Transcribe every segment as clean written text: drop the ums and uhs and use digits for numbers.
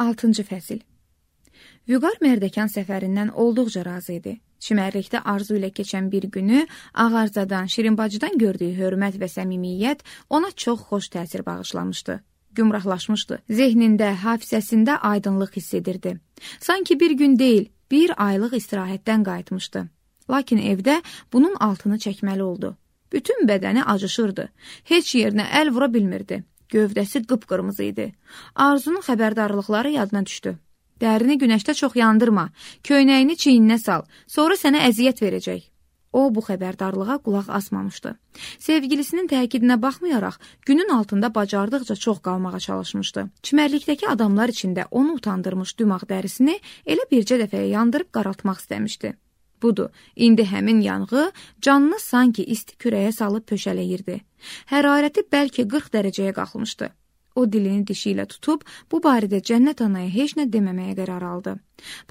6-cı fəsil. Vüqar Mərdəkan səfərindən olduqca razı idi. Çimərlikdə Arzu ilə keçən bir günü Ağarzadan, Şirinbacıdan gördüyü hörmət və səmimiyyət ona çox xoş təsir bağışlamışdı. Gümrahlaşmışdı. Zehnində, hafizəsində aydınlıq hiss edirdi. Sanki bir gün deyil, bir aylıq istirahətdən qayıtmışdı. Lakin evdə bunun altını çəkməli oldu. Bütün bədəni acışırdı. Heç yerinə əl vura bilmirdi. Gövdəsi qıpqırmızı idi. Arzunun xəbərdarlıqları yadına düşdü. Dərini günəşdə çox yandırma, köynəyini çiyninə sal, sonra sənə əziyyət verəcək. O, bu xəbərdarlığa qulaq asmamışdı. Sevgilisinin təkidinə baxmayaraq, günün altında bacardıqca çox qalmağa çalışmışdı. Çimərlikdəki adamlar içində onu utandırmış dümağ dərisini elə bircə dəfəyə yandırıb qaraltmaq istəmişdi. Budur, indi həmin yanğı canını sanki isti kürəyə salıb pöşələyirdi. Hərarəti bəlkə 40 dərəcəyə qalxmışdı. O dilini dişi ilə tutub, bu barədə Cənnət anaya heç nə deməməyə qərar aldı.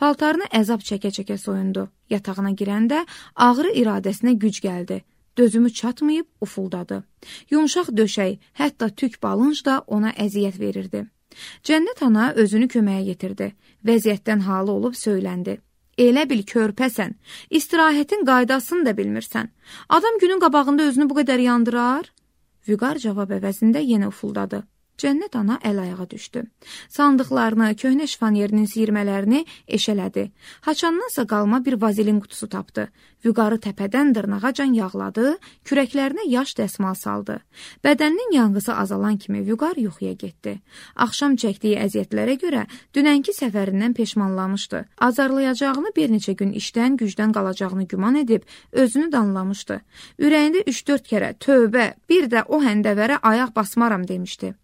Paltarını əzab çəkə-çəkə soyundu. Yatağına girəndə ağrı iradəsinə güc gəldi. Dözümü çatmayıb ufuldadı. Yumşaq döşək, hətta tük balınc da ona əziyyət verirdi. Cənnət ana özünü köməyə yetirdi. Vəziyyətdən halı olub söyləndi. Elə bil körpəsən, istirahətin qaydasını da bilmirsən. Adam günün qabağında özünü bu qədər yandırar? Vüqar cavab əvəzində yenə ufuldadı. Cənnət ana əl-ayağa düşdü. Sandıqlarını, köhnə şifanierinin siyirmələrini eşələdi. Haçandansa qalma bir vazelin qutusu tapdı. Vüqarı təpədən dırnağacan yağladı, kürəklərinə yaş dəsmal saldı. Bədəninin yanğısı azalan kimi Vüqar yuxuya getdi. Axşam çəkdiyi əziyyətlərə görə dünənki səfərindən peşmanlamışdı. Azarlayacağını bir neçə gün işdən, gücdən qalacağını güman edib özünü danlamışdı. Ürəyində 3-4 kərə tövbə, bir də o həndəvərə ayaq basmaram demişdi.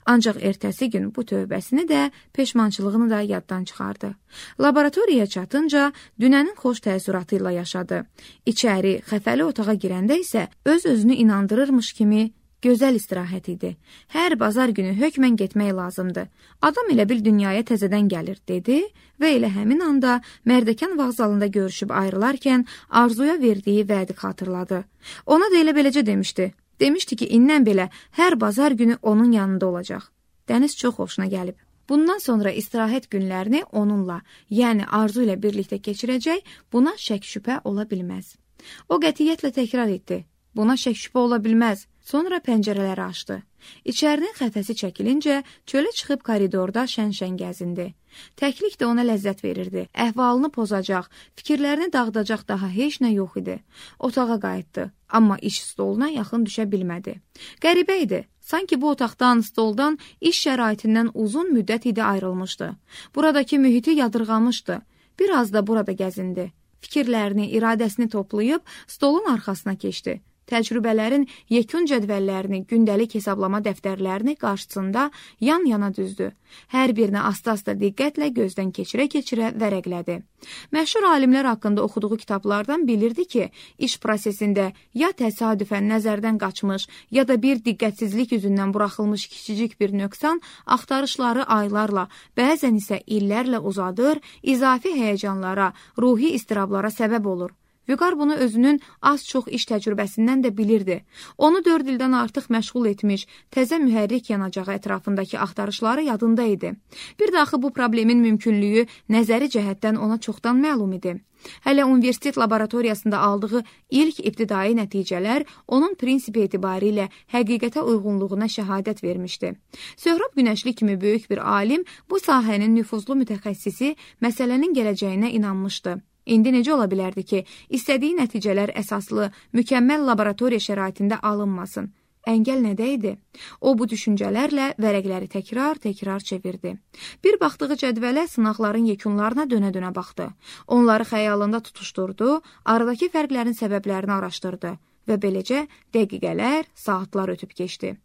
Ancaq ertəsi gün bu tövbəsini də, peşmançılığını da yaddan çıxardı. Laboratoriyaya çatınca dünənin xoş təəssüratı ilə yaşadı. İçəri, xəfəli otağa girəndə isə öz-özünü inandırırmış kimi gözəl istirahət idi. Hər bazar günü hökmən getmək lazımdı. Adam elə bil dünyaya təzədən gəlir, dedi və elə həmin anda Mərdəkan vağzalında görüşüb ayrılarkən Arzuya verdiyi vədi xatırladı. Ona da elə beləcə demişdi. Demişdi ki, indən belə hər bazar günü onun yanında olacaq. Dəniz çox xoşuna gəlib. Bundan sonra istirahət günlərini onunla, yəni Arzu ilə birlikdə keçirəcək, buna şək-şübhə ola bilməz. O qətiyyətlə təkrar etdi. Buna şək-şübhə ola bilməz. Sonra pəncərələri açdı. İçərinin xəfəsi çəkilincə çölə çıxıb koridorda şən-şən gəzindi. Təklik də ona ləzzət verirdi. Əhvalını pozacaq, fikirlərini dağıdacaq daha heç nə yox idi. Otağa qayıtdı, amma iş stoluna yaxın düşə bilmədi. Qəribə idi. Sanki bu otaqdan, stoldan, iş şəraitindən uzun müddət idi ayrılmışdı. Buradakı mühiti yadırğamışdı. Biraz da burada gəzindi. Fikirlərini, iradəsini toplayıb stolun arxasına keçdi. Təcrübələrin yekun cədvəllərini, gündəlik hesablama dəftərlərini qarşısında yan-yana düzdü. Hər birini asta-asta diqqətlə gözdən keçirə-keçirə vərəqlədi. Məşhur alimlər haqqında oxuduğu kitablardan bilirdi ki, iş prosesində ya təsadüfən nəzərdən qaçmış, ya da bir diqqətsizlik üzündən buraxılmış kiçicik bir nöqsan axtarışları aylarla, bəzən isə illərlə uzadır, izafi həyəcanlara, ruhi istirablara səbəb olur. Vüqar bunu özünün az-çox iş təcrübəsindən də bilirdi. Onu 4 ildən artıq məşğul etmiş, təzə mühərrik yanacağı ətrafındakı axtarışları yadında idi. Bir də axı bu problemin mümkünlüyü nəzəri cəhətdən ona çoxdan məlum idi. Hələ universitet laboratoriyasında aldığı ilk ibtidai nəticələr onun prinsipi etibarilə həqiqətə uyğunluğuna şəhadət vermişdi. Söhrab Günəşli kimi böyük bir alim, bu sahənin nüfuzlu mütəxəssisi məsələnin gələcəyinə inanmışdı. İndi necə ola bilərdi ki, istədiyi nəticələr əsaslı, mükəmməl laboratoriya şəraitində alınmasın? Əngəl nədə idi? O, bu düşüncələrlə vərəqləri təkrar çevirdi. Bir baxdığı cədvələ sınaqların yekunlarına dönə-dönə baxdı. Onları xəyalında tutuşturdu, aradakı fərqlərin səbəblərini araşdırdı və beləcə dəqiqələr, saatlar ötüb keçdi.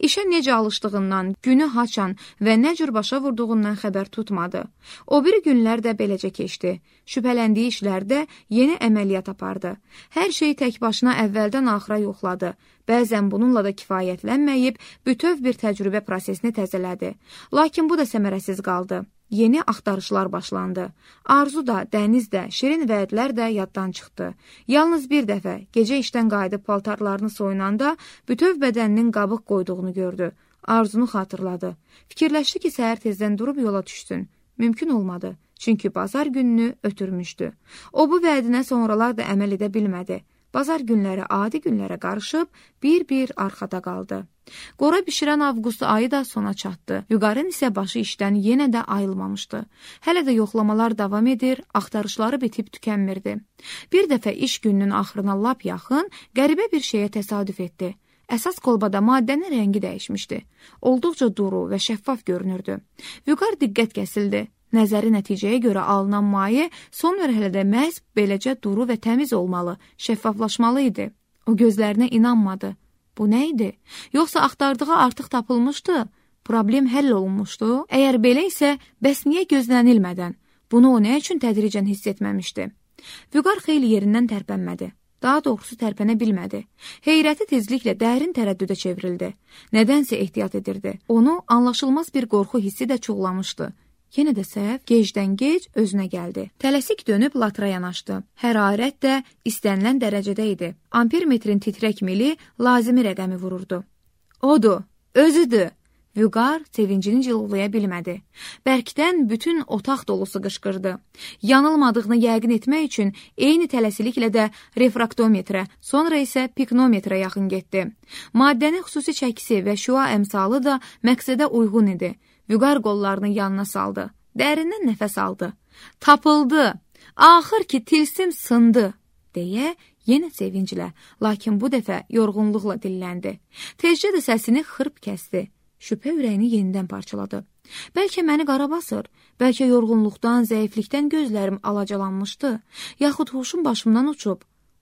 İşə necə alışdığından, günü haçan və nə cür başa vurduğundan xəbər tutmadı. O biri günlər də beləcə keçdi. Şübhələndiyi işlərdə yeni əməliyyat apardı. Hər şeyi tək başına əvvəldən axıra yoxladı. Bəzən bununla da kifayətlənməyib, bütöv bir təcrübə prosesini təzələdi. Lakin bu da səmərəsiz qaldı. Yeni axtarışlar başlandı. Arzu da, dəniz də, şirin vədlər də yaddan çıxdı. Yalnız bir dəfə gecə işdən qayıdıb paltarlarını soyunanda bütöv bədəninin qabıq qoyduğunu gördü. Arzunu xatırladı. Fikirləşdi ki, səhər tezdən durub yola düşsün. Mümkün olmadı, çünki bazar gününü ötürmüşdü. O bu vədinə sonralar da əməl edə bilmədi. Bazar günləri adi günlərə qarışıb, bir-bir arxada qaldı. Qora bişirən avqust ayı da sona çatdı. Vüqarın isə başı işdən yenə də ayılmamışdı. Hələ də yoxlamalar davam edir, axtarışları bitib tükənmirdi. Bir dəfə iş gününün axırına lap yaxın, qəribə bir şeyə təsadüf etdi. Əsas kolbada maddənin rəngi dəyişmişdi. Olduqca duru və şəffaf görünürdü. Vüqar diqqət kəsildi. Nəzəri nəticəyə görə alınan maye son mərhələdə məhz beləcə duru və təmiz olmalı, şəffaflaşmalı idi. O gözlərinə inanmadı. Bu nə idi? Yoxsa axtardığı artıq tapılmışdı? Problem həll olunmuşdu? Əgər belə isə, bəs niyə gözlənilmədən? Bunu o nə üçün tədricən hiss etməmişdi? Vüqar xeyli yerindən tərpənmədi. Daha doğrusu tərpənə bilmədi. Heyrəti tezliklə dərin tərəddüdə çevrildi. Nədənsə ehtiyat edirdi. Onu anlaşılmaz bir qorxu hissi də çuğlamışdı. Yenə də səhv, gecdən-gec özünə gəldi. Tələsik dönüb latra yanaşdı. Hərarət də istənilən dərəcədə idi. Ampermetrin titrək mili lazımi rəqəmi vururdu. Odur, özüdür. Vüqar sevincini cilovlaya bilmədi. Bərkdən bütün otaq dolusu qışqırdı. Yanılmadığını yəqin etmək üçün eyni tələsiliklə də refraktometrə, sonra isə piknometrə yaxın getdi. Maddənin xüsusi çəkisi və şüa əmsalı da məqsədə uyğun idi. Vüqar qollarını yanına saldı. Dərindən nəfəs aldı. Tapıldı. Axır ki, tilsim sındı, deyə yenə sevinclə, lakin bu dəfə yorğunluqla dilləndi. Tezcə də səsini xırp kəsdi. Şübhə ürəyini yenidən parçaladı. Bəlkə məni qara basır, bəlkə yorğunluqdan, zəiflikdən gözlərim alacalanmışdı, yaxud huşum başımdan uçub.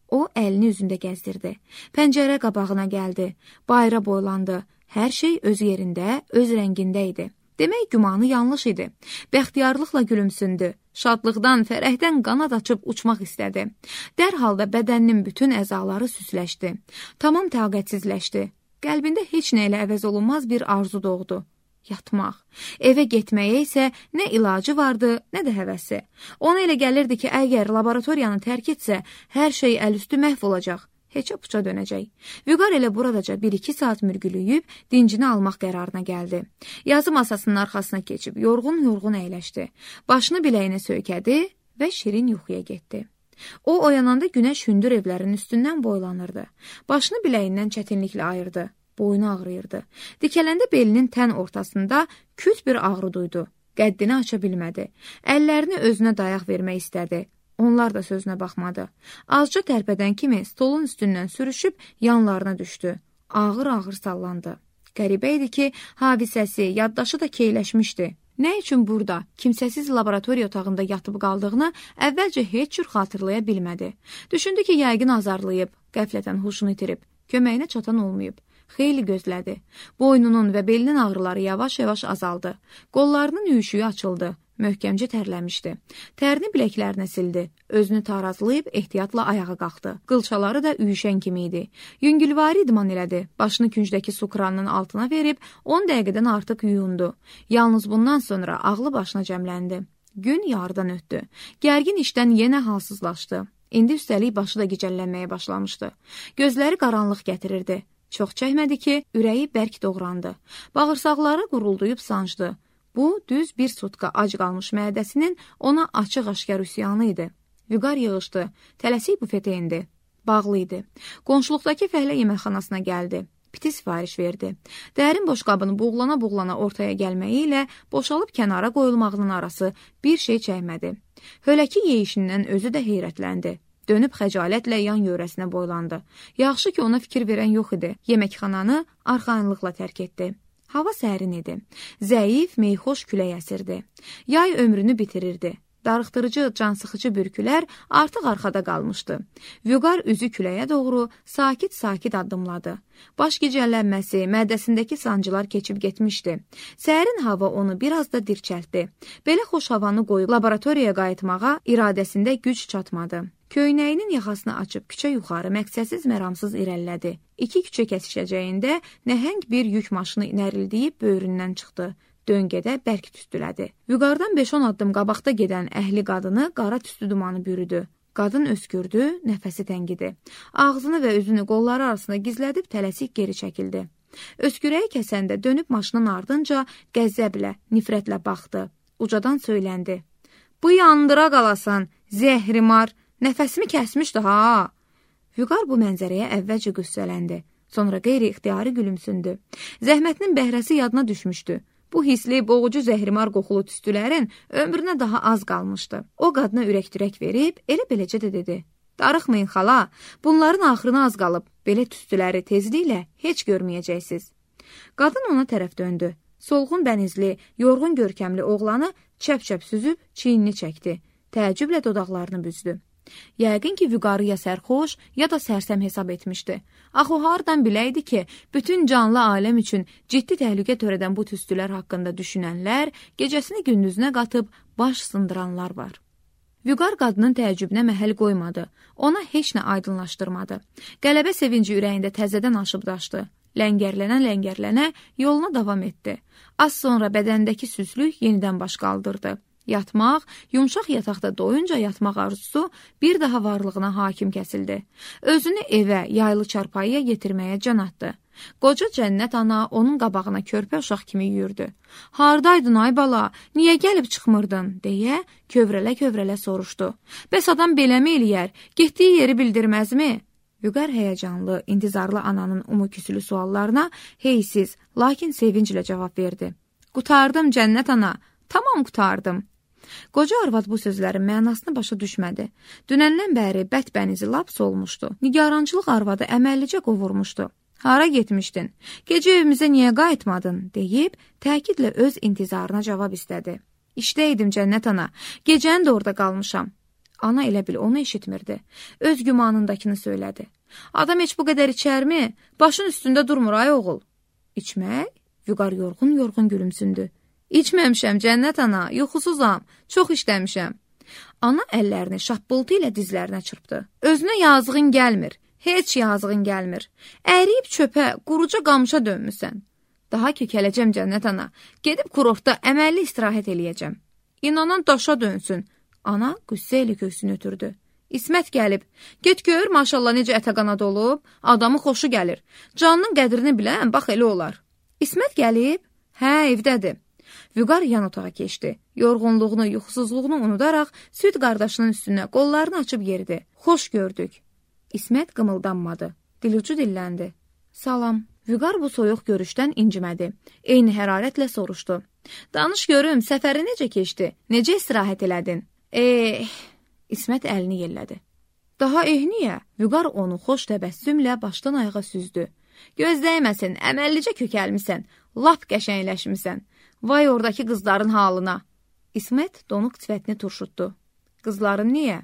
O əlini üzündə gəzdirdi. Pəncərə qabağına gəldi. Bayra boylandı. Hər şey öz yerində, öz rəngində idi. Demək, gümanı yanlış idi. Bəxtiyarlıqla gülümsündü. Şadlıqdan, fərəhdən qanad açıb uçmaq istədi. Dərhal da bədəninin bütün əzaları süsləşdi. Tamam taqətsizləşdi. Qəlbində heç nə ilə əvəz olunmaz bir arzu doğdu. Yatmaq. Evə getməyə isə nə ilacı vardı, nə də həvəsi. Ona elə gəlirdi ki, əgər laboratoriyanı tərk etsə, hər şey əlüstü məhv olacaq. Heçə puça dönəcək. Vüqar elə buradaca 1-2 saat mürgülüyüb, dincini almaq qərarına gəldi. Yazı masasının arxasına keçib, yorğun-yorğun əyləşdi. Başını biləyinə söykədi və şirin yuxuya getdi. O, oyananda günəş hündür evlərin üstündən boylanırdı. Başını biləyindən çətinliklə ayırdı. Boynu ağrıyırdı. Dikələndə belinin tən ortasında küt bir ağrı duydu. Qəddini aça bilmədi. Əllərini özünə dayaq vermək istədi. Onlar da sözünə baxmadı. Azca tərpədən kimi stolun üstündən sürüşüb yanlarına düşdü. Ağır-ağır sallandı. Qəribə idi ki, hadisəsi, yaddaşı da keyləşmişdi. Nə üçün burada, kimsəsiz laboratoriya otağında yatıb qaldığını əvvəlcə heç cür xatırlaya bilmədi. Düşündü ki, yəqin azarlayıb, qəflətən huşunu itirib, köməyinə çatan olmayıb. Xeyli gözlədi. Boynunun və belinin ağrıları yavaş-yavaş azaldı. Qollarının üyüşüyü açıldı. Möhkəmcə tərləmişdi. Tərini biləklərinə sildi. Özünü tarazlayıb ehtiyatla ayağa qalxdı. Qılçaları da üyüşən kimi idi. Yüngülvari idman elədi. Başını küncdəki su kranının altına verib 10 dəqiqədən artıq yuyundu. Yalnız bundan sonra ağlı başına cəmləndi. Gün yarıdan ötdü. Gərgin işdən yenə halsızlaşdı. İndi üstəlik başı da gicəllənməyə başlamışdı. Gözləri qaranlıq gətirirdi. Çox çəkmədi ki, ürəyi bərk doğrandı. Bağırsaqları qurulduyub sancdı. Bu, düz bir sutka ac qalmış mədəsinin ona açıq-aşkar üsyanı idi. Vüqar yığışdı, tələsik bufetə indi. Bağlı idi. Qonşuluqdakı fəhlə yeməkxanasına gəldi. Piti sifariş verdi. Dərin boşqabını buğlana-buğlana ortaya gəlməyi ilə boşalıb kənara qoyulmağının arası bir şey çəkmədi. Höləki yeyişindən özü də heyrətləndi. Dönüb xəcalətlə yan yörəsinə boylandı. Yaxşı ki, ona fikir verən yox idi. Yeməkxananı arxayınlıqla tərk etdi. Hava sərin idi. Zəif, meyxoş külək əsirdi. Yay ömrünü bitirirdi. Darıxdırıcı, cansıxıcı bürkülər artıq arxada qalmışdı. Vüqar üzü küləyə doğru sakit-sakit addımladı. Baş gicəllənməsi, mədəsindəki sancılar keçib getmişdi. Sərin hava onu biraz da dirçəltdi. Belə xoş havanı qoyub laboratoriyaya qayıtmağa iradəsində güc çatmadı. Köynəyinin yaxasını açıb küçə yuxarı məqsədsiz məramsız irəlilədi. 2 küçə kəsişəcəyində nəhəng bir yük maşını nərildiyib böyründən çıxdı. Döngədə bərk tüstülədi. Vüqardan 5-10 addım qabaqda gedən əhli qadını qara tüstü dumanı bürüdü. Qadın öskürdü, nəfəsi təngidi. Ağzını və üzünü qolları arasında gizlədib tələsik geri çəkildi. Öskürəyi kəsəndə dönüb maşının ardınca qəzəblə, nifrətlə baxdı. Ucadan söyləndi. Bu yandıra qalasan, zəhrimar, nəfəsimi kəsmişdi ha. Vüqar bu mənzərəyə əvvəlcə qüssələndi. Sonra qeyri-ixtiyari gülümsündü. Zəhmətinin bəhrəsi yadına düşmüşdü. Bu hisli, boğucu zəhrimar qoxulu tüstülərin ömrünə daha az qalmışdı. O qadına ürək-dirək verib, elə beləcə də dedi. Darıxmayın xala, bunların axırına az qalıb. Belə tüstüləri tezliklə heç görməyəcəksiniz. Qadın ona tərəf döndü. Solğun bənizli, yorğun görkəmli oğlanı çəp-çəp süzüb çiynini çəkdi. Təəccüblə dodaqlarını büzdü. Yəqin ki, Vüqarı ya sərxoş, ya da sərsəm hesab etmişdi. Axı o hardan biləydi ki, bütün canlı aləm üçün ciddi təhlükə törədən bu tüstülər haqqında düşünənlər, gecəsini gündüzünə qatıb baş sındıranlar var. Vüqar qadının təəccübünə məhəl qoymadı. Ona heç nə aydınlaşdırmadı. Qələbə sevinci ürəyində təzədən aşıb daşdı. Ləngərlənə yoluna davam etdi. Az sonra bədəndəki süslük yenidən baş qaldırdı. Yatmaq, yumşaq yataqda doyunca yatmaq arzusu bir daha varlığına hakim kəsildi. Özünü evə, yaylı çarpayıya yetirməyə can atdı. Qoca Cənnət ana onun qabağına körpə uşaq kimi yürüdü. Hardaydın ay bala, niyə gəlib çıxmırdın, deyə kövrələ-kövrələ soruşdu. Bəs adam beləmi eləyər, getdiyi yeri bildirməzmi? Vüqar həyəcanlı, intizarlı ananın umuküsülü suallarına heysiz, lakin sevinclə cavab verdi. Qutardım Cənnət ana, tamam qutardım. Qoca arvad bu sözlərin mənasını başa düşmədi. Dünəndən bəri bətbənizi lap solmuşdu. Nigarançılıq arvadı əməllicə qovurmuşdu. Hara getmişdin? Gecə evimizə niyə qayıtmadın? Deyib, təkidlə öz intizarına cavab istədi. İşdəydim Cənnət ana, gecəni də orada qalmışam. Ana elə bil onu eşitmirdi. Öz gümanındakını söylədi. Adam heç bu qədər içərmi? Başın üstündə durmur ay oğul. İçmək? Vüqar yorğun-yorğun gülümsündü. İçməmişəm Cənnət ana, yuxusuzam, çox işləmişəm. Ana əllərini şappıltı ilə dizlərinə çırpdı. Özünə yazığın gəlmir, heç yazığın gəlmir. Əriyib çöpə, quruca qamışa dönmüsən. Daha kökələcəm Cənnət ana, gedib kurortda əməlli istirahət eləyəcəm. İnanan daşa dönsün. Ana qüssə ilə köksünü ötürdü. İsmət gəlib, get gör maşallah necə ətə qanad olub, adamın xoşu gəlir. Canının qədrini bilən, bax elə olar. İsmət gəlib? Hə, evdədir. Vüqar yan otağa keçdi. Yorğunluğunu, yuxusuzluğunu unudaraq süd qardaşının üstünə qollarını açıb yeridi. Xoş gördük. İsmət qımıldanmadı. Dilucu dilləndi. Salam. Vüqar bu soyuq görüşdən incimədi. Eyni hərarətlə soruşdu. Danış görüm, səfəri necə keçdi? Necə istirahət elədin? İsmət əlini yellədi. Daha niyə? Vüqar onu xoş təbəssümlə başdan ayağa süzdü. Gözdəyməsin, əməllicə kökəlmisən, lap qəşəngləşmisən. Vay oradakı qızların halına. İsmət donuq sifətini turşutdu. Qızların niyə?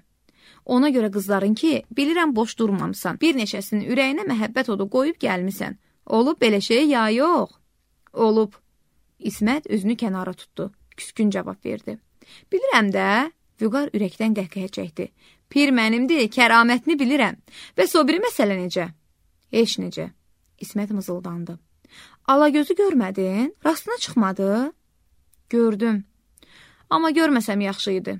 Ona görə qızların ki, bilirəm boş durmamısan. Bir neçəsinin ürəyinə məhəbbət odu qoyub gəlmisən. Olub belə şey ya yox? Olub. İsmət üzünü kənara tutdu. Küskün cavab verdi. Bilirəm də. Vüqar ürəkdən qəhqəhə çəkdi. Pir mənimdir, kəramətini bilirəm. Bəs o biri məsələ necə? Heç necə. İsmət mızıldandı. Alagözü görmədin? Rastına çıxmadı? Gördüm. Amma görməsəm yaxşı idi.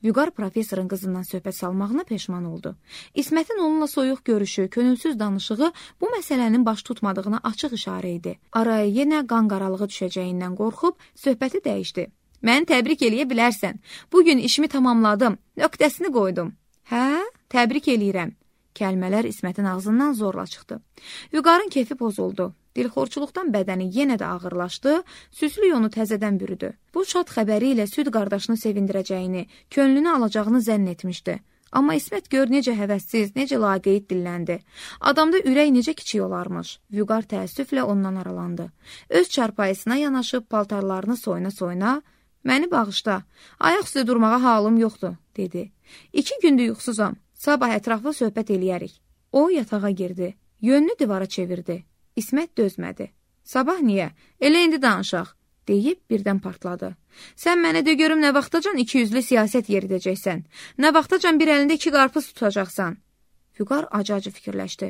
Vüqar professorun qızından söhbət salmağına peşman oldu. İsmətin onunla soyuq görüşü, könülsüz danışığı bu məsələnin baş tutmadığına açıq işarə idi. Araya yenə qan qaralığı düşəcəyindən qorxub söhbəti dəyişdi. Məni təbrik eləyə bilərsən. Bugün işimi tamamladım, nöqtəsini qoydum. Hə, təbrik eləyirəm. Kəlmələr İsmətin ağzından zorla çıxdı. Vüqarın kefi pozuldu. Dilxorçuluqdan bədəni yenə də ağırlaşdı, süslük onu təzədən bürüdü. Bu şad xəbəri ilə süd qardaşını sevindirəcəyini, könlünü alacağını zənn etmişdi. Amma İsmət gör necə həvəssiz, necə laqeyd dilləndi. Adamda ürək necə kiçik olarmış. Vüqar təəssüflə ondan aralandı. Öz çarpayısına yanaşıb paltarlarını soyuna-soyuna, məni bağışla, ayaq üstə durmağa halım yoxdur, dedi. 2 gündür yuxusuzam, sabah ətraflı söhbət eləyərik. O yatağa girdi, yönünü divara çevirdi. İsmət dözmədi. Sabah niyə? Elə indi danışaq, deyib birdən partladı. Sən mənə de görüm nə vaxtacan 200'lü siyasət yeridəcəksən, nə vaxtacan bir əlində 2 qarpız tutacaqsan. Vüqar acı-acı fikirləşdi.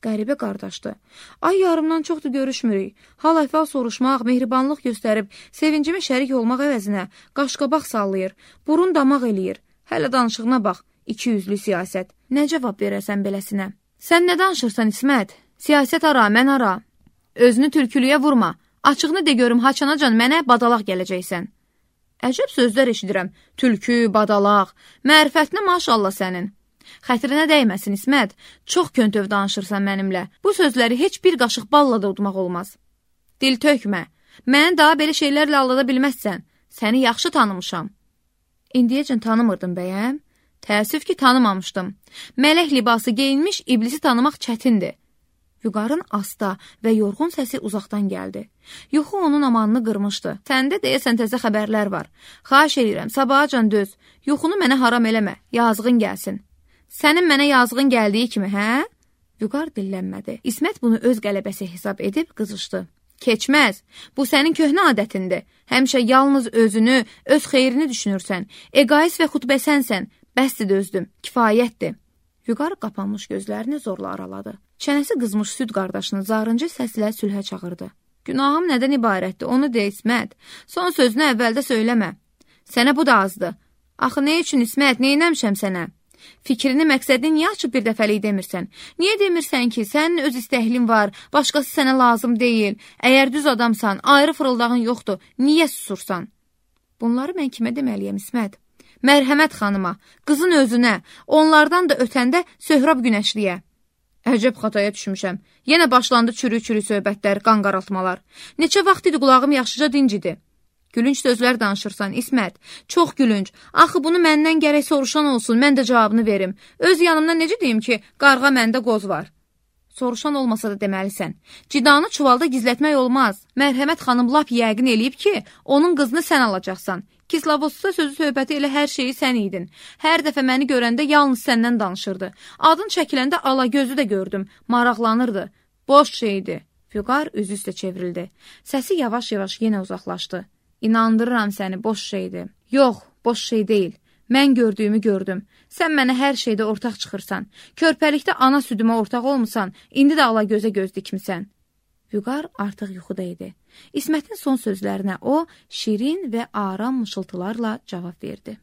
Qəribə qardaşdı. Ay yarımdan çoxdur görüşmürük. Hal-əhval soruşmaq, mehribanlıq göstərib, sevincimə şərik olmaq əvəzinə qaşqabaq sallayır, burun damaq eləyir. Hələ danışığına bax, 200'lü siyasət. Nə cavab verəsən beləsinə? Sən nə danışırsan İsmət? Siyasət ara, mən ara. Özünü tülkülüyə vurma. Açığını de görüm, haçanacan mənə badalaq gələcəksən. Əcəb sözlər eşidirəm. Tülkü, badalaq. Mərifətinə maşallah sənin. Xətrinə dəyməsin İsmət. Çox köntöv danışırsan mənimlə. Bu sözləri heç bir qaşıq balla da udmaq olmaz. Dil tökmə. Məni daha belə şeylərlə aldada bilməzsən. Səni yaxşı tanımışam. İndiyəcən tanımırdım bəyəm. Təəssüf ki, tanımamışdım. Mələk libası geyinmiş iblisi tanımaq çətindir. Vüqarın asta və yorğun səsi uzaqdan gəldi. Yuxu onun amanını qırmışdı. Səndə deyəsən təzə xəbərlər var. Xahiş edirəm, sabahacan döz. Yuxunu mənə haram eləmə, yazığın gəlsin. Sənin mənə yazığın gəldiyi kimi, hə? Vüqar dillənmədi. İsmət bunu öz qələbəsi hesab edib qızışdı. Keçməz, bu sənin köhnə adətindir. Həmişə yalnız özünü, öz xeyrini düşünürsən. Eqaist və xutbəsənsən. Bəsdir dözdüm, kifayətdir. Vüqar qapanmış gözlərini zorla araladı. Çənəsi qızmış süd qardaşını zarıncı səslə sülhə çağırdı. Günahım nədən ibarətdir, onu de İsmət. Son sözünü əvvəldə söyləmə. Sənə bu da azdır. Axı nə üçün İsmət, neynəmişəm sənə? Fikrini, məqsədini niyə açıb bir dəfəlik demirsən? Niyə demirsən ki, sənin öz istəhlin var, başqası sənə lazım deyil. Əgər düz adamsan, ayrı fırıldağın yoxdur, niyə susursan? Bunları mən kimə deməliyəm İsmət? Mərhəmət xanıma, qızın özünə, onlardan da ötəndə Söhrab Günəşliyə. Əcəb xataya düşmüşəm. Yenə başlandı çürük-çürük söhbətlər, qan qaraltmalar. Neçə vaxt idi qulağım yaxşıca dincidir. Gülünç sözlər danışırsan, İsmət. Çox gülünç. Axı bunu məndən gərək soruşan olsun, mən də cavabını verim. Öz yanımdan necə deyim ki, qarğa məndə qoz var? Soruşan olmasa da deməlisən. Cidanı çuvalda gizlətmək olmaz. Mərhəmət xanım lap yəqin eləyib ki, onun qızını sən alacaqsan. Kislavosda sözü söhbəti elə hər şeyi sən idin. Hər dəfə məni görəndə yalnız səndən danışırdı. Adın çəkiləndə ala gözü də gördüm. Maraqlanırdı. Boş şeydi. Vüqar üzü üstə çevrildi. Səsi yavaş-yavaş yenə uzaqlaşdı. İnandırıram səni, boş şeydi. Yox, boş şey deyil. Mən gördüyümü gördüm. Sən mənə hər şeydə ortaq çıxırsan. Körpəlikdə ana südümə ortaq olmusan, indi də ala gözə göz dikmisən. Vüqar artıq yuxuda idi. İsmətin son sözlərinə o, şirin və aram mışıltılarla cavab verdi.